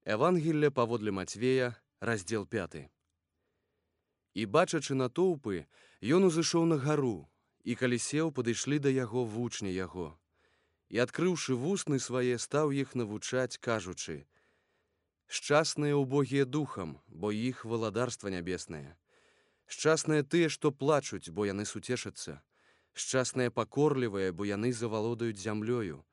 Евангелле паводле Мацвея, раздзел 5. І, бачачы натоўпы, ён узышоў на гару, і калі сеў, падышлі да яго вучні яго. І, адкрыўшы вусны свае, стаў іх навучаць, кажучы: «Шчасныя ўбогія духам, бо іх валадарства нябеснае. Шчасныя тыя, што плачуць, бо яны суцешацца. Шчасныя пакорлівыя, бо яны завалодаюць зямлёю.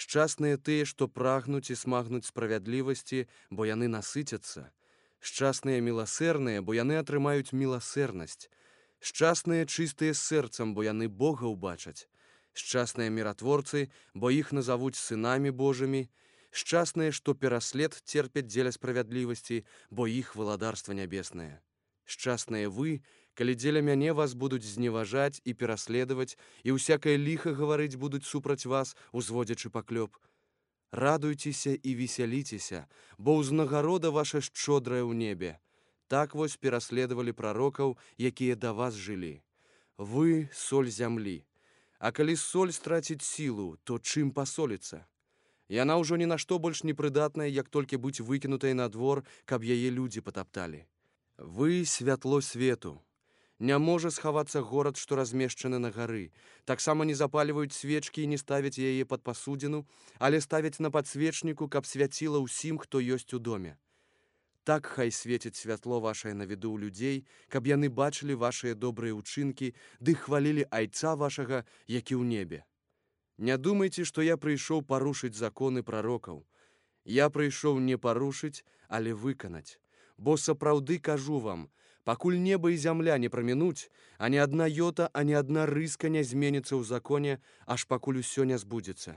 Шчасныя тыя, што прагнуць і смагнуць справядлівасці, бо яны насыцяцца. Шчасныя міласэрныя, бо яны атрымаюць міласэрнасць. Шчасныя чыстыя сэрцам, бо яны Бога ўбачаць. Шчасныя міратворцы, бо іх назавуць сынамі Божымі. Шчасныя, што пераслед церпяць дзеля справядлівасці, бо іх валадарства нябеснае. Шчасныя вы, калі дзеля мяне вас будуць зневажаць і пераследаваць, і ўсякае ліха гаварыць будуць супраць вас, узводзячы паклёп. Радуйцеся і весяліцеся, бо ўзнагарода ваша шчодрая ў небе. Так вось пераследавалі прарокаў, якія да вас жылі. Вы соль зямлі. А калі соль страціць сілу, то чым пасоліцца? Яна ўжо ні на што больш не прыдатная, як толькі быць выкінутай на двор, каб яе людзі патапталі. Вы святло свету. Не можа схавацца горад, што размешчаны на гары. Таксама не запальваюць свечкі і не ставяць яе пад пасудзіну, але ставяць на падсвечніку, каб свяціла ўсім, хто ёсць у доме. Так хай свеціць святло вашае на віду ў людзей, каб яны бачылі вашыя добрыя ўчынкі, ды хвалілі Айца вашага, які ў небе. Не думайце, што я прыйшоў парушыць законы прарокаў. Я прыйшоў не парушыць, але выканаць. Бо сапраўды кажу вам, пакуль неба і зямля не прамінуць, а ні адна йота, а ні адна рыска не зменіцца ў законе, аж пакуль усё не збудзецца.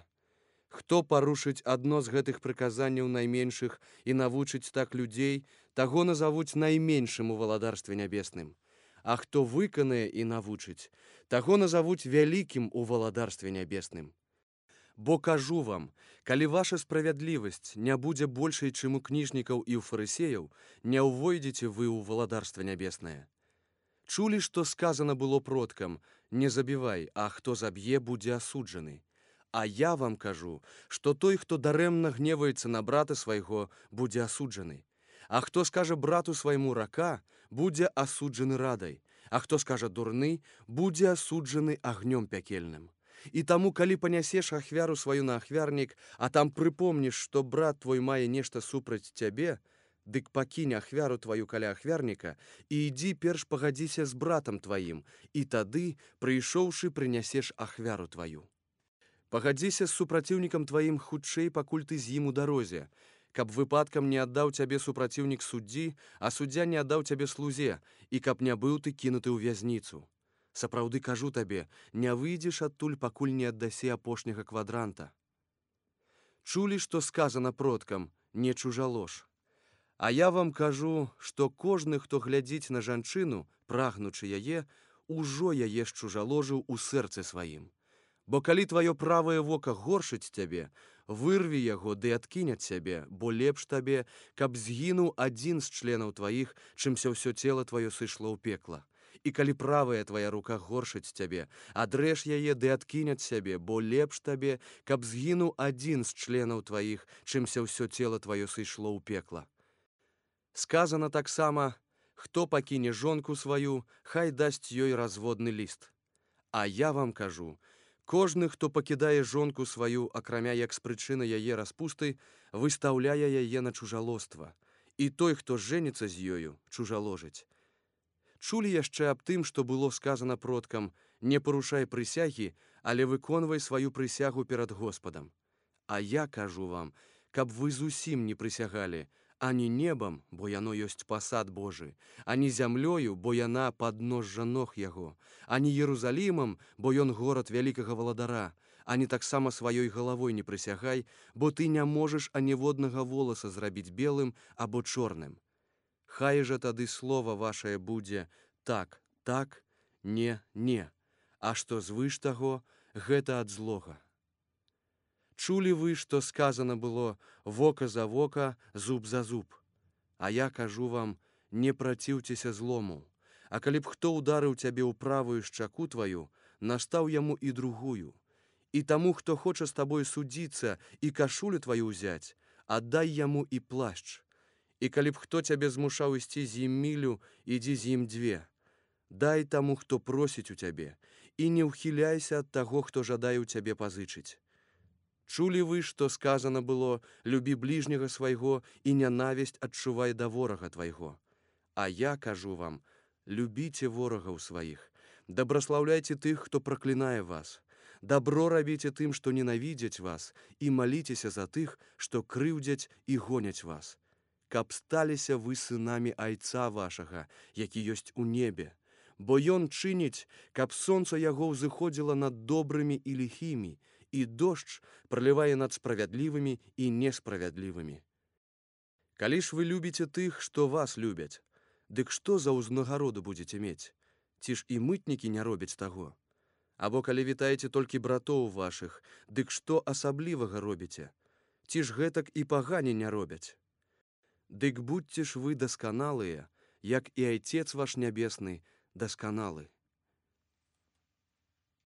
Хто парушыць адно з гэтых прыказанняў найменшых і навучыць так людзей, таго назавуць найменшым у валадарстве нябесным. А хто выканае і навучыць, таго назавуць вялікім у валадарстве нябесным. Бо кажу вам, калі ваша справядлівасць не будзе большай, чым у кніжнікаў і ў фарысеяў, не ўвойдзеце вы ў валадарства нябеснае. Чулі, што сказана было продкам: не забівай, а хто заб'е, будзе асуджаны. А я вам кажу, што той, хто дарэмна гневаецца на брата свайго, будзе асуджаны. А хто скажа брату свайму рака, будзе асуджаны радай. А хто скажа дурны, будзе асуджаны агнём пякельным. І таму, калі панясеш ахвяру сваю на ахвярнік, а там прыпомніш, што брат твой мае нешта супраць цябе, дык пакінь ахвяру тваю каля ахвярніка і ідзі перш пагадзіся з братам тваім, і тады, прыйшоўшы, прынясеш ахвяру тваю. Пагадзіся з супраціўнікам тваім хутчэй, пакуль ты з ім у дарозе, каб выпадкам не аддаў цябе супраціўнік суддзі, а суддзя не аддаў цябе слузе, і каб не быў ты кінуты ў вязніцу. Сапраўды кажу табе, не выйдзеш адтуль, пакуль не аддасі апошняга квадранта. Чулі, што сказана продкам: не чужалож. А я вам кажу, што кожны, хто глядзіць на жанчыну, прагнучы яе, ужо яе счужаложыў у сэрцы сваім. Бо калі тваё правае вока горшыць цябе, вырві яго ды адкінь ад сябе, бо лепш табе, каб згінуў адзін з членаў тваіх, чымся ўсё цела тваё сышло ў пекла. І калі правая твая рука горшыць цябе, адрэж яе ды адкінь ад сябе, бо лепш табе, каб згінуў адзін з членаў тваіх, чымся ўсё цела тваё сышло ў пекла. Сказана таксама: хто пакіне жонку сваю, хай дасць ёй разводны ліст. А я вам кажу, кожны, хто пакідае жонку сваю, акрамя як з прычыны яе распусты, выстаўляе яе на чужалоства, і той, хто жэніцца з ёю, чужаложыць. Чулі яшчэ аб тым, што было сказана продкам: не парушай прысягі, але выконвай сваю прысягу перад Господам. А я кажу вам, каб вы зусім не прысягалі, ані небам, бо яно ёсць пасад Божы, ані зямлёю, бо яна падножжа ног яго, ані Єрусалімам, бо ён горад вялікага валадара, ані таксама сваёй галавой не прысягай, бо ты не можаш аніводнага воласа зрабіць белым або чорным. Хай жа тады слова вашае будзе так, так, не, не, а што звыш таго, гэта ад злога. Чулі вы, што сказана было: вока за вока, зуб за зуб. А я кажу вам, не праціўцеся злому. А калі б хто ударыў цябе ў правую шчаку тваю, настаў яму і другую. І таму, хто хоча з табой судзіцца і кашулю тваю ўзяць, аддай яму і плашч. І калі б хто цябе змушаў ісці з ім мілю, ідзі з ім 2. Дай таму, хто просіць у цябе, і не ўхіляйся ад таго, хто жадае ў цябе пазычыць. Чулі вы, што сказано было: любі бліжняга свайго і нянавісць адчувай да ворага твайго. А я кажу вам: любіце ворагаў сваіх, дабраслаўляйце тых, хто праклінае вас, дабро рабіце тым, што ненавідзяць вас, і маліцеся за тых, што крыўдзяць і гоняць вас. Каб сталіся вы сынамі Айца вашага, які ёсць у небе, бо ён чыніць, каб сонца яго ўзыходзіла над добрымі і ліхімі, і дождж пралівае над справядлівымі і несправядлівымі. Калі ж вы любіце тых, што вас любяць, дык што за ўзнагароду будзеце мець? Ці ж і мытнікі не робяць таго? Або калі вітаеце толькі братоў вашых, дык што асаблівага робіце? Ці ж гэтак і пагане не робяць? Дык будьце ж вы дасканалыя, як і Айцец ваш нябесны дасканалы.